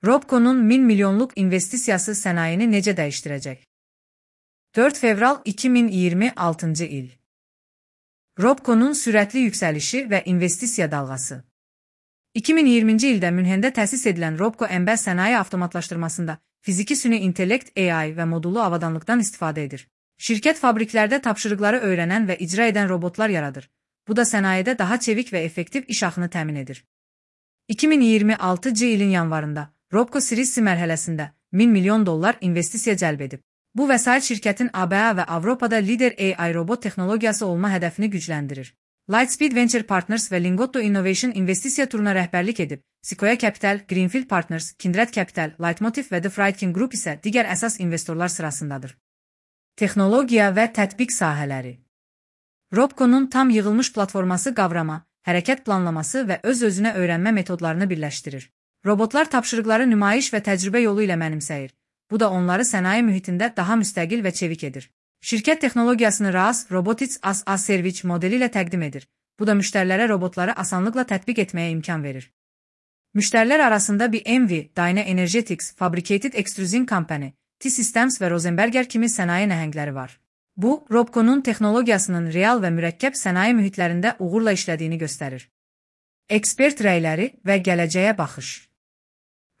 Robco'nun 1000 milyonluk investisiyası sənayeni necə dəyişdirəcək? 4 fevral 2026 il. Robco'nun sürətli yüksəlişi və investisiya dalğası. 2020-ci ildə Münhendə təsis edilən Robco əmbəl sənaye avtomatlaşdırmasında fiziki süni intellekt AI və modullu avadanlıqdan istifadə edir. Şirkət fabriklərdə tapşırıqları öyrənən və icra edən robotlar yaradır. Bu da sənayedə daha çevik və effektiv iş axını təmin edir. 2026 ilin yanvarında Robco Series C mərhələsində 1000 milyon dollar investisiya cəlb edib. Bu vəsait şirkətin ABA və Avropada lider AI robot texnologiyası olma hədəfini gücləndirir. Lightspeed Venture Partners və Lingotto Innovation investisiya turuna rəhbərlik edib. Sequoia Capital, Greenfield Partners, Kindred Capital, Leitmotiv və The Friedkin Group isə digər əsas investorlar sırasındadır. Texnologiya və tətbiq sahələri. Robco'nun tam yığılmış platforması qavrama, hərəkət planlaması və öz-özünə öyrənmə metodlarını birləşdirir. Robotlar tapşırıqları nümayiş və təcrübə yolu ilə mənimsəyir. Bu da onları sənaye mühitində daha müstəqil və çevik edir. Şirkət texnologiyasını RAS, Robotics as a Service modeli ilə təqdim edir. Bu da müştərilərə robotları asanlıqla tətbiq etməyə imkan verir. Müştərilər arasında BMW, Dyna Energetics, Fabricated Extrusion Company, T-Systems və Rosenberger kimi sənaye nəhəngləri var. Bu, Robco'nun texnologiyasının real və mürəkkəb sənaye mühitlərində uğurla işlədiyini göstərir. Ekspert rəyləri və gələcəyə baxış.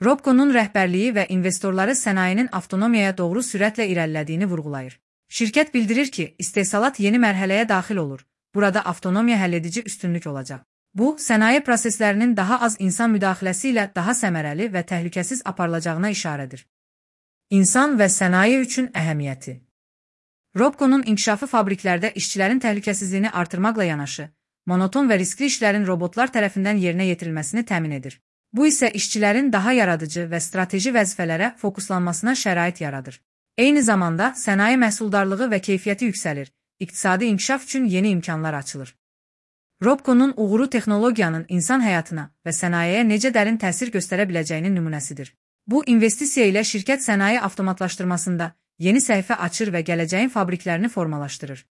Robco'nun rəhbərliyi və investorları sənayenin avtonomiyaya doğru sürətlə irəlilədiyini vurğulayır. Şirkət bildirir ki, istehsalat yeni mərhələyə daxil olur. Burada avtonomiya həlledici üstünlük olacaq. Bu, sənaye proseslərinin daha az insan müdaxiləsi ilə daha səmərəli və təhlükəsiz aparılacağına işarədir. İnsan və sənaye üçün əhəmiyyəti. Robco'nun inkişafı fabriklərdə işçilərin təhlükəsizliyini artırmaqla yanaşı, monoton və riskli işlərin robotlar tərəfindən yerinə yetirilməsini təmin edir. Bu isə işçilərin daha yaradıcı və strateji vəzifələrə fokuslanmasına şərait yaradır. Eyni zamanda sənaye məhsuldarlığı və keyfiyyəti yüksəlir, iqtisadi inkişaf üçün yeni imkanlar açılır. Robco'nun uğuru texnologiyanın insan həyatına və sənayeye necə dərin təsir göstərə biləcəyinin nümunəsidir. Bu, investisiya ilə şirkət sənaye avtomatlaşdırmasında yeni səhifə açır və gələcəyin fabriklərini formalaşdırır.